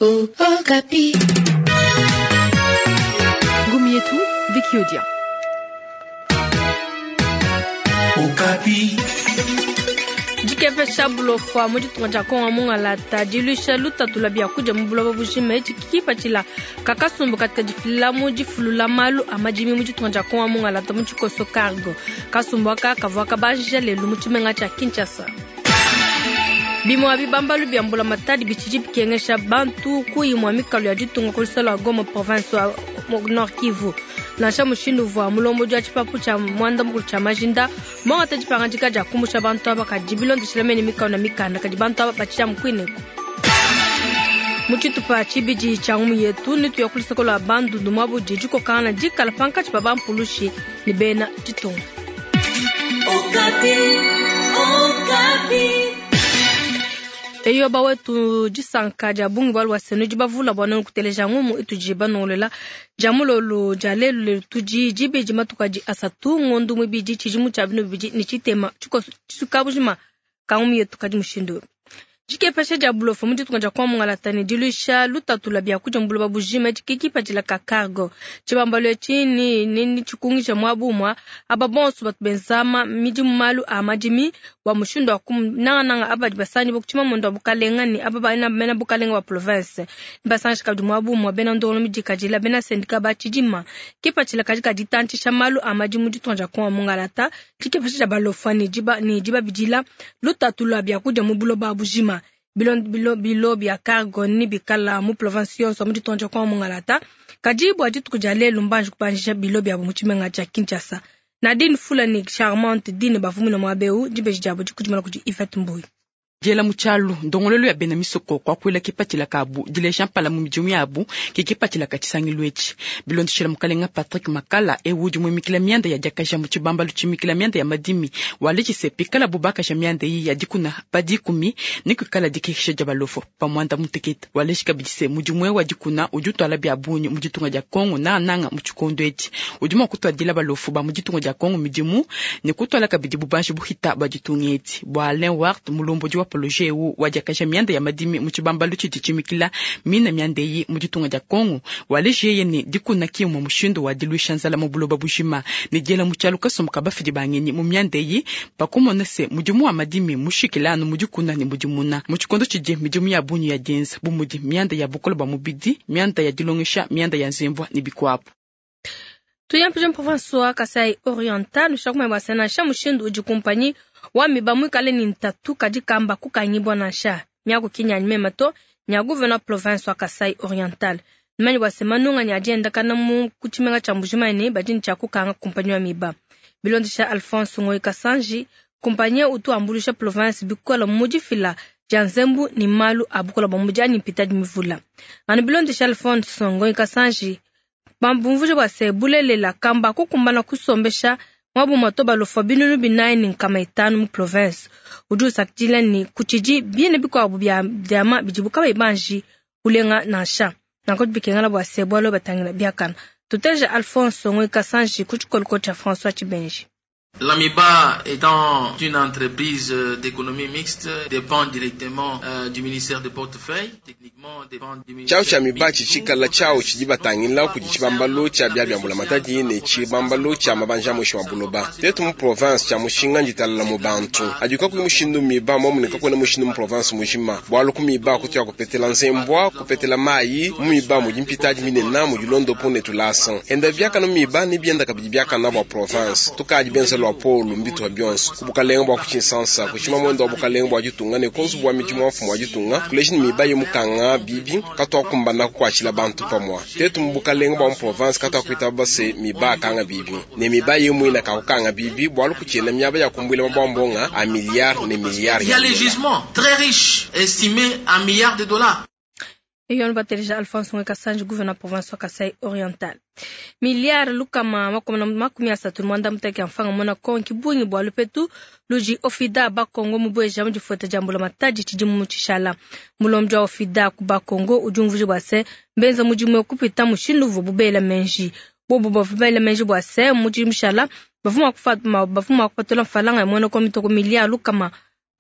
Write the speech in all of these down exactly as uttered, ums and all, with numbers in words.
Okapi. Ngumi yetu Vicky Odia. Okapi. Dikepesha bulofwa mu ditunga dia Kongo mungalata diluisha lutatu lwa biakudia mu buloba bujima etshi kipatshila kakasumbu katika difila mu difulula malu a madimi mu ditunga dia Kongo mungalata mu tshikoso cargo kasumbu aka kavua kabanjija lelu mu tshimenga tshia Kinshasa. Bimua bibambalu bia mbulamatadi bitshidi bikengesha bantu ku imua mikalu ya ditunga ku lusala lua Goma province wa Nord Kivu. Nansha mushindu uvua mulombodi wa tshipapu tshia muanda mukulu tshia majinda muangata dipangadika dia kumbusha bantu aba kadi bilondeshela mene mikalu na mikanda kadi bantu aba batshidi amu kuineku. Mu tshitupa tshibidi tshia ngumu yetu netuya ku luseke lua Bandundu muabudi dikokangana dikala pankatshi pa bampulushi ne bena ditunga. Okapi, Okapi. Eyo bawetu disanka dia bungi bwalu bwa senu dibavula bwa nonu kuteleja ngumu itudi banongolela dia mulolo dia lelu lelu tudi dibidi matuku adi asatu ngondu muibidi tshidimu tshia binu bibidi ne tshitema tshikoso tshikabujima ka ngumu yetu kadi mushindu. Dikepesha dia bulofa mu ditunga dia Kongo mungalata ne diluisha lutatu lwa biakudia mu buloba bujima dikipatshila ka cargo. Tshibambalu etshi ni ni tshikungisha muabu umua aba bonso batu benza midimu malu a madimi bua mushindu wa nangananga aba badi basangi ku tshimamunda wa bukalenga ne aba bena bukalenga bua province. Basangisha kabidi muabu umua bena ndongolo midikadila bena syndicat ba tshidima. Kipatshila kadi kaditantshisha malu a madimu ditunga dia Kongo mungalata dikepesha dia balofa ne diba ne dibabidila lutatu lwa biakudia mu buloba bujima. Bilo, bilo, bilo bia cargo ni bikala mu province yonso mu ditunga dia Kongo mungalata kadi bua dituku dia lelu mbanji kubanjisha bilo biabo mu tshimenga tshia Kinshasa. Nadine Fula ni Charmante Dine bavumina muaba eu dibeji diabo dikudimana kudi Yvette Mbuyi. Diela mu tshialu ndongololo ya bena misoko kuakuila kipatshila kabu dileja mpala mu midimu yabu ke kipatshila ka tshisangilu etshi. Bilondeshela mukalenga Patrick Makala ewu udi muimikila mianda ya diakaja mu tshibambalu tshimikila mianda ya madimi walejise pikala bubakaja mianda iyi ya dikuna pa dikumi ne kuikala dikekesha dia balofo pa muanda mutekete. Waleji kabidi se mudimu ewu wa dikuna udi utwala bia bungi mu ditunga dia Kongo nangananga mu tshikondo etshi udi mua kutuadila balofu ba mu ditunga dia Kongo midimu ne kutwala kabidi bubanji buhita bua ditunga edi. Bua Alain Wart mulombodi wa projet ewu wa diakaja mianda ya madimi mu tshibambalu tshidi tshimikila mina mianda eyi mu ditunga dia Kongo waleji yeye ne dikuna kimwe mushindu wa diluisha nzala mu buloba bujima ne diela mu tshialu kasumbu ka bafidi ba ngenyi mu mianda eyi pakumona se mudimu wa madimi mushikila anu mu dikuna ne mudimuna mu tshikondo tshidi midimu ya bungi ya dienza bu mudi mianda ya bukole bua mubidi, mianda ya dilongesha, mianda ya nzembwa ne bikuabu. Tuyampije province wa Kasai Oriental ushakumanya bua se nansha mushindu udi kumpanyi wa miba muikale ni ntatu kadi kamba kukangibwa nansha miaku kinyanyi mema to nya gouverneur province wa Kasai Oriental numanyi bua se manunga nya diendakana mu ku tshimenga tshia Mbujimayi ne badi ne tshia kukanga kumpanyi wa miba. Bilondesha Alphonse Ngoyi Kasanji kumpanyi utu ambuluisha province bikola mu difila dia nzembu ne malu a bukola bua mudi anyi mpita dimivula. Anu bilondesha Alphonse Ngoyi Kasanji bambumvuje bua se bulelela kamba kukumbana kusombesha mwabu mato balofa binunu binayi ne nkama itanu mu province. Udi usakidila ne kutshidi bine bikuabu bia diama bidibu kabayi banji kulenga nansha. Nanku bikengela bua se bualu batangila biakana. Tuteje Alphonse Ngoyi Kasanji ku tshikoliko tshia François Tshibenji. L'AMIBA étant une entreprise d'économie mixte dépend directement euh, du ministère des portefeuilles, techniquement dépend du ministère. Tshiawu tshia miba tshitshikala tshiawu tshidi batangila kudi tshibambalu tshia bia bia mbulamatadi ne tshibambalu tshia mabanja muinshi wa buloba. Tetu mu province tshia mushinga nditalala mu bantu adi kakuyi mushindu miba momune kakuena mushindu mu province mujima bualu ku miba kutu ya kupetela nzembwa kupetela mayi mu miba mudi mpitadi minena mudi londopo ne tulasa enda biakana mu miba ne bienda kabidi biakana bua province tukadi benza lua polu mbituha bionso ku bukalenga bua kutshinsansa kushima mwendo wa bukalenga bua ditunga ne ku nzubu wa midimu wa mfumu wa ditunga kuleji ne miba ye mukanga bibi katuakumbana kukuatshila bantu pamua tetu mu bukalenga bua mu province katuakuitaba base miba akanga bibi ne miba ye muina kakukanga bibi bualu kutshiena miaba ya kumbuila mabwambonga a milliard ne milliard. Il y a les gisements très riches estimés à milliards de dollars. Eyo batelija Alphonse Ngoyi Kasanji gouverneur province wa Kasai Oriental. Milliard lukama makumi makumi asatu mwanda muteke mfanga mona konki bungi bwa lupetu luji ofida bakongo mubweja mu difueta dia mbulamatadi tshidimu mu tshishala. Mulombi wa ofida ku bakongo udi umvuija bua se mbenza mudimu kupita mushindu uvua bubela menji. Bobu bavua bela menji bua se mu tshidimu tshishala bavua mua kupatula mfalanga ya mona ko mitoko milliard lukama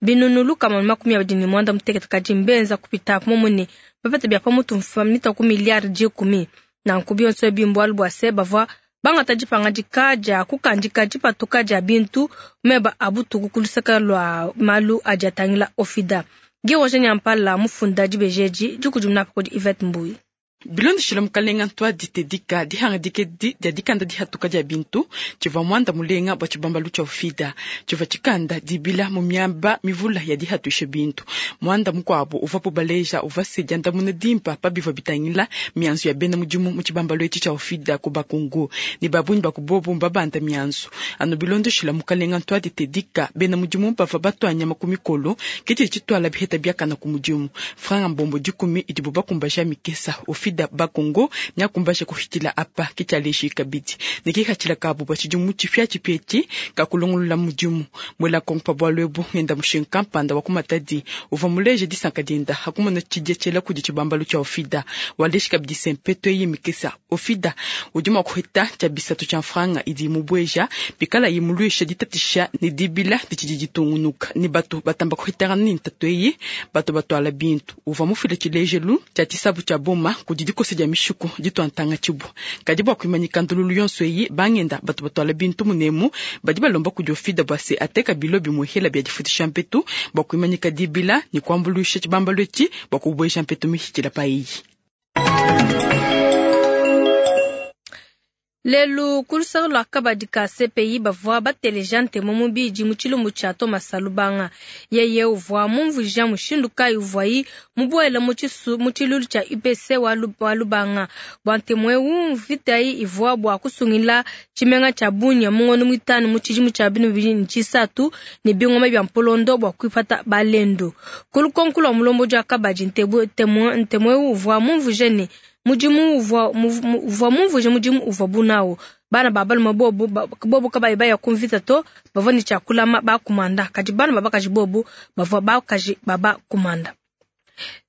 binunu lukama ne makumi abidi ne muanda mutekete kadi mbenza kupita momwe ne bapeta bia pamutu mita ku miliyari dikumi. Nanku bionso ebi mbualu bua se bavua bangata dipangadika dia kukandika dipatuka dia bintu meba a butuku ku luseke lua malu adi atangila Ofida. Guy Roger Nyampala mufunda dibeji dikudimuna kudi Yvette Mbuyi. Bilondeshile mukalenga Ntwadi Tedika dihangadika edi dia dikanda dihatuka dia bintu tshivua muanda mulenga bua tshibambalu tshia Ofida tshivua tshikanda dibila mu miaba mivula ya dihatuisha bintu. Muanda mukuabu uvapo baleja uvua se diandamuna dimpa pa bivua bitangila mianzu ya bena mudimu mu tshibambalu etshi tshia Ofida ku Bakongo ne babunyi ba kubobu mbabanda mianzu. Anu bilondeshile mukalenga Ntwadi Tedika bena mudimu bavua batua nyama ku mikolo ke tshidi tshituala biheta biakana ku mudimu. Franga mbombo dikumi idibu bakumbaja mikesa Ofida Bakongo nyakumbasha kuhitila apa kityaleshi kabidi nikihatshila kabu bua tshidimu tshipia tshipieti kakulongolola mudimu mwela kongo pa bualu ebu ngenda mushinga kampanda wa kumatadi uvua muleje disanka dienda hakumona tshidia tshiela kudi tshibambalu tshia Ofida waleshi kabidi sempeto eyi mikesa Ofida udi mua kuhita tshia bisatu tshia mfranga idi imubueja bikala imuluisha ditatisha ne dibila ditshidi ditungunuka ne batu batamba kuhitangana ne ntatu eyi batu batuala bintu uvua mufile tshilejelu tshia tshisabu tshia boma kudi dikosa dia mishuku dituantanga tshibu kadi bua kuimanyika ndululu yonso eyi bangenda batu batuala bintu munemu badi balomba kudi Ofida bua se ateka bilo bimuhela bia difutisha mpetu bua kuimanyika dibila ne kuambuluisha tshibambalu etshi bua kubueja mpetu mihitshila pa eyi. Lelu ku luseke lua kabadi ka C P I bavua bateleja ntemu mubidi mu tshilumbu tshia Thomas Lubanga. Yeye uvua mumvuija mushindu kayi uvuayi mubuele mu tshilulu tshia U P C wa Lubanga. Bua ntemu eu mvita ivua bua kusungila tshimenga tshia Bunia mu ngondo muitanu mu tshidimu tshia bibili ne tshisatu ne bingoma bia mpolondo bua kuipata balendo. Ku lukonko lua mulombodi wa kabadi ntemu eu uvua mumvuije ne mudimu uvua uvua mumvuje mudimu uvua bunawo bana ba balume bobu bobu kabayi baya kumvita to bavua ne tshiakulama bakumanda kadi bana babakaji bobu bavua bakaji baba kumanda.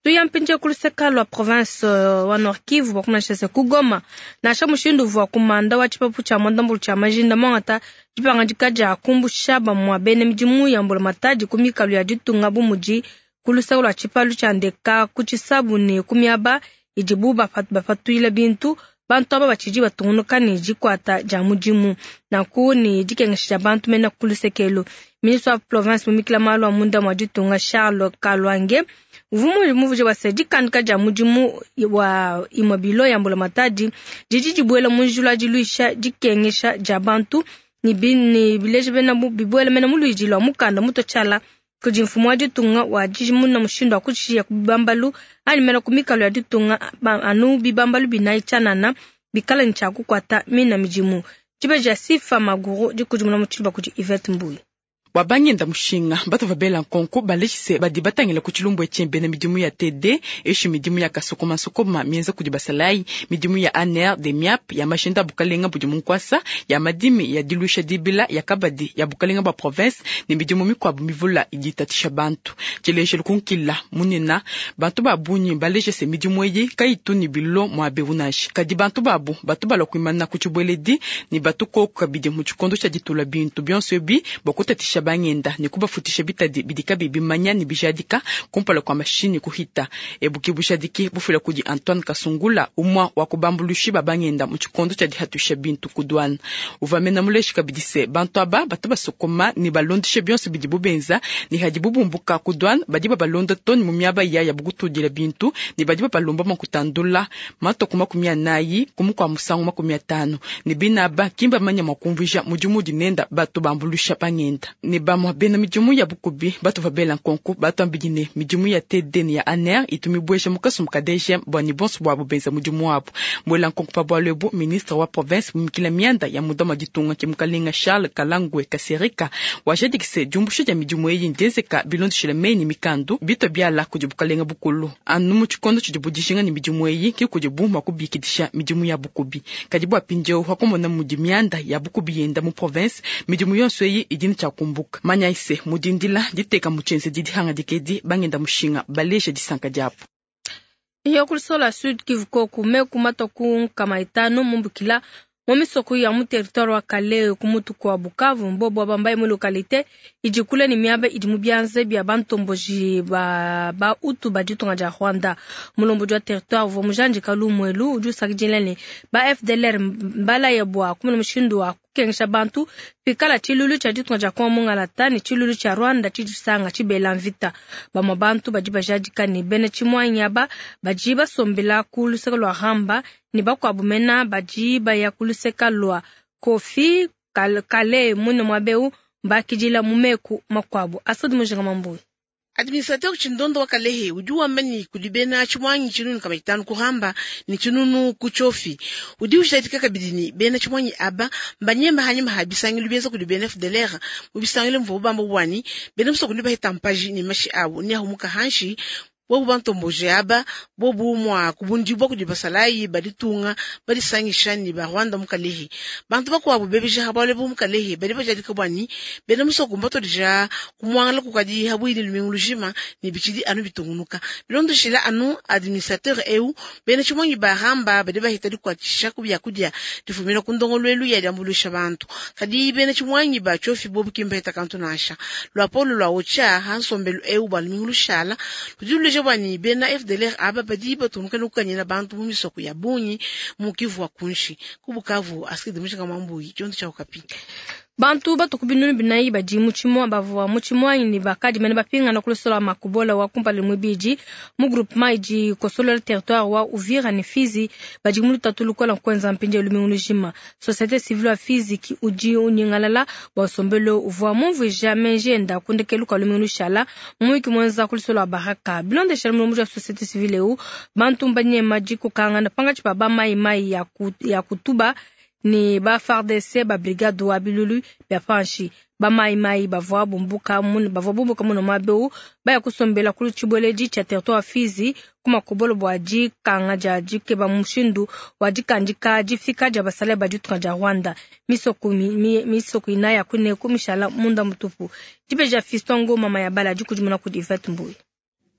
Tuyampinje ku luseka lua province wa Nord Kivu bakumanyisha ku Goma nansha mushindu uvua kumanda wa tshipapu tshia mwandambulu tshia majinda mwangata dipangadika dia kumbusha bamua bena midimu ya mbulamatadi ku mikalu ya ditunga bu mudi ku luseka lua tshipalu tshia ndeka ku tshisabu ne ku miaba idibu bapatuila bintu bantu aba batshidi batungunuka ne dikwata dia mudimu nanku ne dikengesha dia bantu mena ku lusekelo. Ministre wa province mumikila malu a munda mua ditunga Charles Kalwange uvua muvuje bua se dikandika dia mudimu wa imue bilo ya mbulamatadi didi dibuela mu njila diluisha dikengesha dia bantu ne bileja bena bibuela mena mu luidi lua mukanda muto tshiala kudi mfumu wa ditunga wa dijimuna mushindu wa kutshiya ku bibambalu anyi mena ku mikalo ya ditunga anu bibambalu binayi tshianana bikala ne tshia kukuata mina midimu. Dibeji ya Sifa Maguru dikudimuna mu tshiluba kudi Yvette Mbuyi. Bua bangenda mushinga batu babela nkonko baleshise badi batangila ku tshilumbu etshi bena midimu ya T D eshi midimu ya kasokomasokoma mienza kudi basalayi midimu ya A N R de M I A P ya mashinda bukalenga budi munkwasa ya madimi ya dilusha dibila ya kabadi ya bukalenga bua province ne midimu mikuabu mivula idi itatisha bantu. Tshilejelu kunkila munena bantu babunyi baleshise midimu eyi kayitu ne bilo mua beunashi kadi bantu babu batu balua kuimana ku tshibweledi ne batu koku kabidi mu tshikondo tshia ditula bintu bionso ebi bua kutatisha bangenda ne kubafutisha bitadi bidika bibimanya ne bijadika kumpala kwa mashini kuhita. Ebuki bushadiki bufila kudi Antoine Kasungula umwa wa kubambulushi ba bangenda mu tshikondo tshia dihatusha bintu ku douane. Uvamena muleshi kabidi se bantu aba batu basokoma ne balondeshe bionso bidi bubenza ne hadi bubumbuka ku douane badi babalonda toni mu miaba ya ya bukutudila bintu ne badi babalomba makutandula matoko makumi anayi kumukwa musangu makumi atano ne binaba kimba manya makumvija mudimu dinenda batu bambulusha bangenda. Ne bamwa bena midimu ya bukubi batu babela nkonko batu ambidi ne midimu ya T D ne ya A N R itumibwesha mukasu mukadeje bwa ni bonso bwa bubenza mudimu wabo. Mwela nkonko pa bwalo ebu ministre wa province mumikila mianda ya mudama ditunga ke mukalenga Charles Kalangwe Kasereka wajadikise diumbusha dia midimu eyi ndezeka bilondeshile menyi mikandu bito biala kudi bukalenga bukulu anu mu tshikondo tshidi budishinga ne midimu eyi ke kudi bu mua kubikidisha midimu ya bukubi. Kadi bua pindiewu hakumona mudi mianda ya bukubi yenda mu province midimu yonso eyi idi ne tshiakumbuka. Manya ise mudindila diteka mutshenze didi hanga dikedi bangenda mushinga baleje disanka diapo. Iyo kulisola Sud Kivu koku meku matoku nkama itano mumbukila Mu misoko ya mu territoire wa Kalehe ku mutu kua Bukavu, mbobo bambaye mu localité idi kule ne miaba idi mu bianza bia bantomboji ba ba Hutu ba ditunga dia Rwanda. Mulombodi wa territoire uvua mujandika lumuelu udi usakidila ne ba F D L R mbalaya bua kumona mushindu wa kukengesha bantu pikala tshilulu tshia ditunga dia Kongo mungalata ne tshilulu tshia Rwanda tshidisanga tshibela mvita. Bamue bantu badi bajadika ne bena tshimuanyi aba badi basombela ku luseke lua Ramba ne bakuabu mena badi baya ku luseke lua Kofi Kale mune muabeu mbakidila mu meku makuabu. Asodi Mujinga Mambuyi. Administrateur Chindondo wa Kalehe udi wamba ni kudi bena tshimwanyi tshinunu kama itanu kuhamba ni tshinunu kuchofi. Udi ujadika kabidi ni bena tshimwanyi aba mbanyemba hanyuma ha bisangilu bienza kudi bena F D L R mu bisangilu mvubu bamba bwani bena musoko ndi bahita mpaji ni mashi abu ni ahumuka hanshi bobu bantomboje aba bobu mwa kubundibwa kudi basalayi baditunga badisangisha ni ba Rwanda mu Kalehe. Bantu bakuabu bebija habale bu mu Kalehe badi bajadika bwani bena musoko mbatodija kumwangala kukadi habwini lumingu lujima ni bichidi anu bitungunuka. Bilondoshila anu administrateur eu bena tshimwanyi baramba badi bahita dikwatisha ku byakudia difumina ku ndongoluelu ya diambulusha bantu. Kadi bena tshimwanyi ba chofi bobu kimbeta kantu nasha. Lwa polo lwa ocha hansombelu eu ba lumingu lushala ludiluleja bwani bena F D L R aba badi batungunuka nokukanyina bantu mu misoko ya bungi mu Kivu wa kunshi. Ku Bukavu Askide Mujinga Mambuyi tshiondo tshia Okapi. Bantu batuku binunu binayi badi mu tshimua bavua mu tshimuanyi ne bakadi mene bapingana ku lusola makubola wa kumpala muibidi mu groupement idi kosolola territoire wa Uvira ne Fizi badi mu lutatu lukola kwenza mpindieu lumingu lujima. Société civile wa Fizi ki udi unyingalala bua nsombelu uvua mumvuija menji enda kundekelu kua lumingu lushala mu muyuki muenza ku lusola wa Baraka. Bilondeshela mulomboji wa société civile eu bantu mbanyema dikokangana pangatshi pa ba mai mai ya ku, ya kutuba ni ba F A R D C ba brigade wa bilulu bya panshi ba mai mai bavua bumbuka mun bavua bumbuka muno mabeu baya kusombela ku tshibweledi tshia territoire Fizi ku makobolo bua dikanga dia dikeba mushindu wa dikandika difika dia basale ba ditunga dia Rwanda. Misoko mi, mi, misoko inaya kune kumishala munda mutupu. Dibeja Fiston Ngoma mama ya bala dikudimuna kudi Yvette Mbuyi.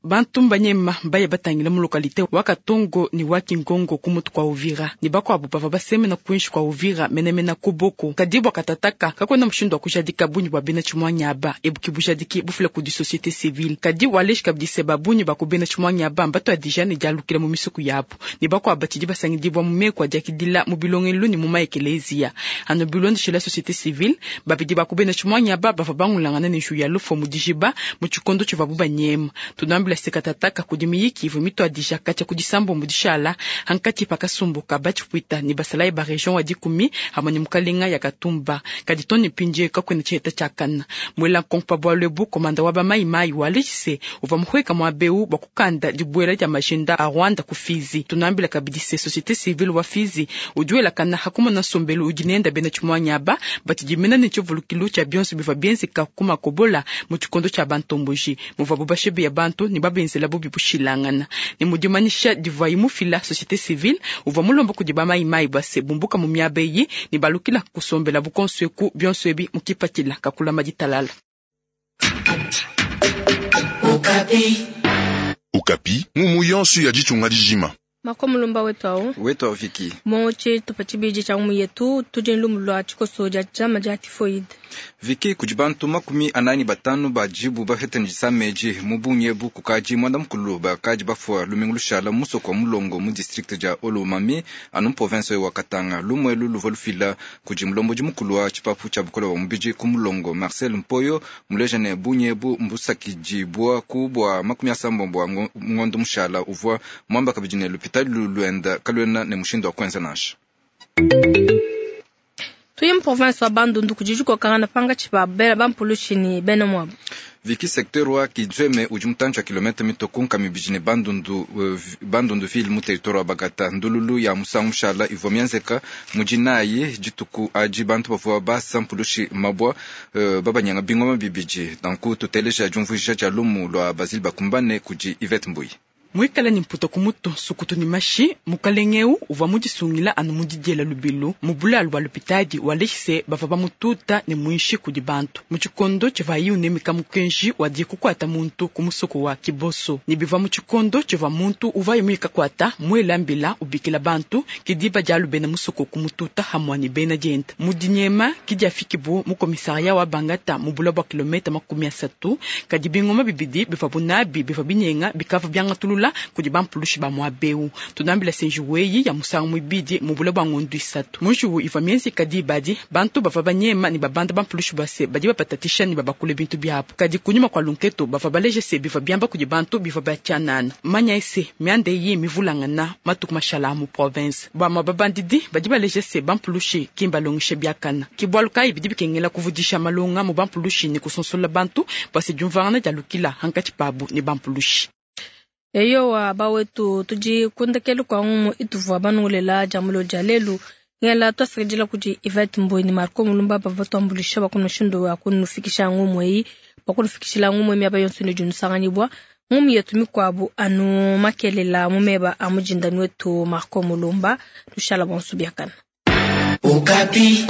Bantu mbanyema mbaye batangila mu localité wa Katongo ni wa Kingongo ku mutu kwa Uvira ni bakuabu bava basemena kuinshi kwa Uvira menemena kuboko kadibwa katataka kakwena mushindu wa kujadika bunyi bwa bena tshimwanyi aba ebuki bujadiki bufila kudi société civile kadi waleshi kabidise babunyi bakubena tshimwanyi aba mbato adija ne dialukila mu misuku yabu ni bakuabu batshidi basangidibwa mu meko adiakidila mu bilongelu ni mu maekelezia ano bilondeshela société civile babidi bakubena tshimwanyi aba bava bangulangana ne nju ya lufo mu dijiba mu tshikondo tshivabu banyema tunambila sekatataka kudi miyiki ivu mitwadija katya kudisambo mudishala hankati pakasumbuka bachipwita ni basalayi ba region wa dikumi hamwe ni mukalenga ya Katumba kadi toni pindie kakwena tshiheta tshiakana mwela nkonko pa bwalu ebu komanda wa bamayimayi walejise uva muhweka mwa beu bwa kukanda dibuela dia majinda a Rwanda ku Fizi tunambila kabidi se société civile wa Fizi udi welakana hakumona nsombelu udi nenda bena tshimwanyi aba batidimena ne tshivulukilu tshia bionso bivua bienzeka ku makobola mu tshikondo tshia bantomboji muvuabu bashebeya bantu ni babenzela bubi bushilangana ni mudimanisha divuayi mufila société civile uvua mulomba kudi bamayimayi base bumbuka mu miaba eyi ni balukila kusombela bukonso eku bionso ebi mukipatshila kakulama ditalala. Okapi. Okapi, mumu yonso ya ditunga dijima. Makomulumba wetu awo. Wetu awo Viki. Moche tupachibiji cha umu yetu tuje nlumu chikoso ja chama ja typhoid. Viki kudi bantu makumi anani batanu bajibu bafete njisameji mubunyebu kukaji mwanda mukulu bakaji bafua lumingu lushala musoko mulongo mu district ja Olomami anu province wa Katanga lumwelu luva lufila kudi mulomboji mukulu wa tshipapu tshia bukola wa mubiji ku mulongo Marcel Mpoyo mulejane bunyebu mbusakijibwa ku bwa makumi asambombo wa ngondo mushala uvua mwamba kabidi ne lupita luluenda kalwena ne mushindo wa kwenza nasha. Tuye province wa Bandundu kujijuko kangana panga chipa bela bampulushi ni bena mwabo. Viki secteur wa Kidzweme udi mutantshi wa kilomita mitoko nkami biji ne Bandundu uh, Bandundu ville mu territoire wa Bagata ndululu ya musangu mushala ivua mianzeka mujinayi dituku adi bantu bavua basa mpulushi mabwa uh, babanyanga bingoma bibidi danku tuteleja diumvuija dia lumu lua Basile Bakumbane kudi Yvette Mbuyi. Mwikala ni mputa kumutu sukutu ni mashi mukalengeu uvwa mudisungila anu mudidiela lubilu mubulalu bwa lupitadi waleshise bava bamututa ne mwinshi kudi bantu muchikondo chiva unemika mukenji wadi kukwata muntu kumusoko wa kiboso ni bivwa muchikondo chiva muntu uvaye mwika kwata mwelambila ubikila bantu kidiba jalu bena musoko kumututa hamwa ni bena jenta mudinyema kidiafikibu mukomisaria wa bangata mubula bwa kilometa makumi asatu kadi bingoma bibidi bivwa bunabi bivwa binyenga bikava byangatulula kudi bampulushi ba mwabeu tunambila senjuweyi ya musangu mwibidi mubula bwa ngondu isatu munjuwu ivwa mienzi kadi ibadi bantu bava banyema ni babanda bampulushi base badi bapatatisha ni babakule bintu byabo kadi kunyuma kwa lunketo bava baleje se bivwa byamba kudi bantu bivwa bachanana manya ese miande yi mivulangana matuku mashala mu province bama babandidi badi baleje se bampulushi kimbalongishe byakana kibwaluka ibidi bikengela kuvudisha malonga mu bampulushi ni kusonsola bantu base jumvangana jalukila hankati pabu ni bampulushi. Eyowa bawetu tudi kundekelu kwa ngumu ituvua banungulela jamulo jalelu ngela twasakidila kudi Yvette Mboi ni Marco Mulumba bava twambulisha bakunoshindo wa kunufikisha ngumu eyi bakunufikishila ngumu emi yonso ne junusanganyibwa ngumu yetu mikwabu anu makelela mumeba amujindani wetu Marco Mulumba tushala bonso biakana. Okapi.